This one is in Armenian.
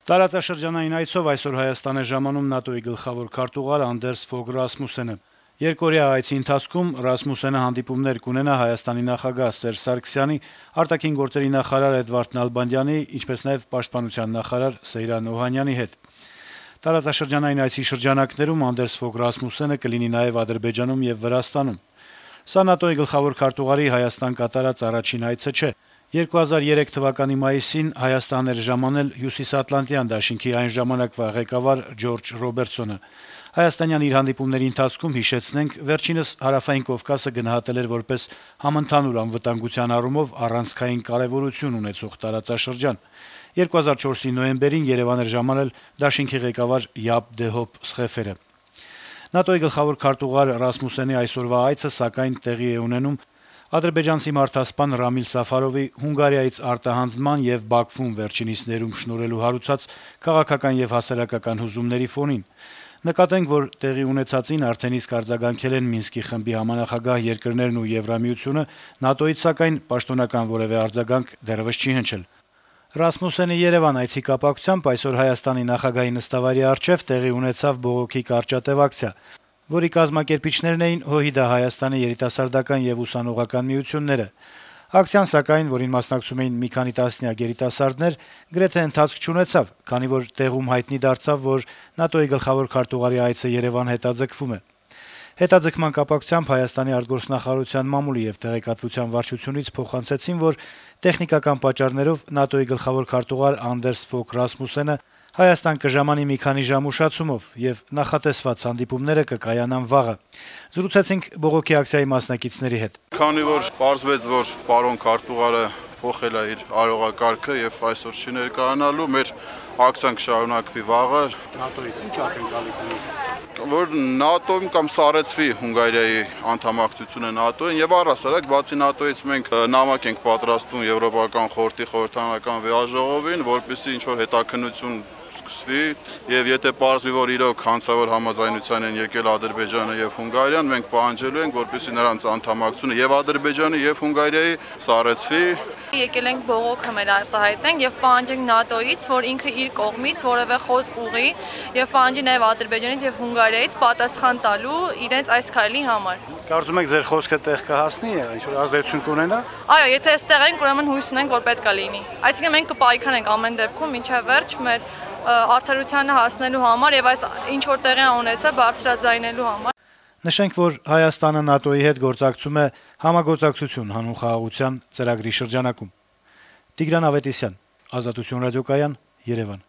Տարածաշրջանային այցով այսօր Հայաստան է ժամանում ՆԱՏՕ-ի գլխավոր քարտուղար Անդերս Ֆոգ Ռասմուսենը։ Երկօրյա այցի ընթացքում Ռասմուսենը հանդիպումներ կունենա Հայաստանի նախագահ Սերժ Սարգսյանի, արտաքին գործերի նախարար Էդվարդ Նալբանդյանի, ինչպես նաև պաշտպանության նախարար Սեյրան Օհանյանի հետ։ Տարածաշրջանային այցի շրջանակներում Անդերս Ֆոգ Ռասմուսենը կլինի նաև Ադրբեջանում եւ Վրաստանում։ Սա ՆԱՏՕ-ի գլխավոր քարտուղարի Հայաստան կատարած առաջին այցը չէ։ 2003 թվականի մայիսին Հայաստան էր ժամանել Հյուսիսատլանտյան դաշինքի այն ժամանակվա ղեկավար Ջորջ Ռոբերտսոնը։ Հայաստանյան իր հանդիպումների ընթացքում, հիշեցնենք, վերջինս Հարավային Կովկասը գնահատել էր որպես համընդհանուր անվտանգության առումով առանցքային կարեւորություն ունեցող տարածաշրջան։ 2004-ի նոյեմբերին Երեւան էր ժամանել դաշինքի ղեկավար Յապ Դեհոպ Սխեֆերը։ ՆԱՏՕ-ի գլխավոր քարտուղար Ռասմուսենի այսօրվա այցը, սակայն, տեղի է ունենում ադրբեջանցի մարդասպան Ռամիլ Սաֆարովի Հունգարիայից արտահանձնման եւ Բաքվում վերջինիս ներում շնորհելու հարուցած քաղաքական եւ հասարակական հուզումների ֆոնին։ Նկատենք, որ տեղի ունեցածին արդեն իսկ արձագանքել են Մինսկի խմբի համանախագահ երկրներն ու Եվրամիությունը, ՆԱՏՕ-ից, սակայն, պաշտոնական որեւէ արձագանք դեռեւս չի հնչել։ Ռասմուսենի Երեւան այցի կապակցությամբ այսօր Հայաստանի նախագահի նստավայրի առջեւ տեղի ունեցավ բողոքի կարճատև ակցիա, որի կազմակերպիչներն էին ՀՅԴ Հայաստանի երիտասարդական եւ ուսանողական միությունները։ Ակցիան, սակայն, որին մասնակցում էին մի քանի տասնյակ երիտասարդներ, գրեթե ընթացք չունեցավ, քանի որ տեղում հայտնի դարձավ, որ ՆԱՏՕ-ի գլխավոր քարտուղարի այցը Երեւան հետաձգվում է։ Հետաձգման կապակցությամբ Հայաստանի արտգործնախարարության մամուլի եւ տեղեկատվության վարչությունից փոխանցեցին, որ տեխնիկական պատճառներով ՆԱՏՕ-ի գլխավոր քարտուղար Անդերս Ֆոգ Ռասմուսենը Հայաստան կժամանի մի քանի ժամ ուշացումով եւ նախատեսված հանդիպումները կկայանան վաղը։ Զրուցեցինք բողոքի ակցիայի մասնակիցների հետ։ Քանի որ պարզվեց, որ պարոն քարտուղարը փոխել է իր արարողակարգը եւ այսօր չի ներկայանալու, մեր ակցիան կշարունակվի վաղը։ ՆԱՏՕ-ից ինչ ակնկալիք ունեք։ Որ ՆԱՏՕ-ին կամ սառեցվի Հունգարիայի անդամակցությունը ՆԱՏՕ-ին եւ առհասարակ բացի ՆԱՏՕ-ից մենք նամակ ենք պատրաստվում Եվրոպական խորհրդի խորհրդարանական վեաժողովին, որպեսզի ինչ որ հետաքննություն սկսվի եւ եթե պարզվի, որ իրոք հանցավոր համաձայնության են եկել Ադրբեջանը եւ Հունգարիան, մենք պահանջելու ենք, որպեսզի նրանց անդամակցությունը եւ Ադրբեջանի եւ Հունգարիայի սառեցվի։ Եկել ենք բողոքը մեր արտահայտենք եւ պահանջենք ՆԱՏՕ-ից, որ ինքը իր կողմից որևէ խոսք ուղի եւ պահանջի նաեւ Ադրբեջանից եւ Հունգարիայից պատասխան տալու իրենց այս քայլի համար։ Կարծում եք ձեր խոսքը տեղ կհասնի, ինչ որ ազդեցություն կունենա։ Այո, եթե այստեղ ենք, ուրեմն հույս ունենք, որ պետք է լինի։ Այսինքն մենք կպայքարենք ամեն դեպքում մինչև վերջ մեր արդարությանը հասնելու համար եւ այս ինչ որ տեղի ունեցա բարձրաձայնելու համար։ Նշենք, որ Հայաստանը ՆԱՏՕ-ի հետ գործակցում է համագործակցություն հանուն խաղաղության ծրագրի շրջանակում։ Տիգրան Ավետիսյան, Ազատություն ռադիոկայան, Երևան։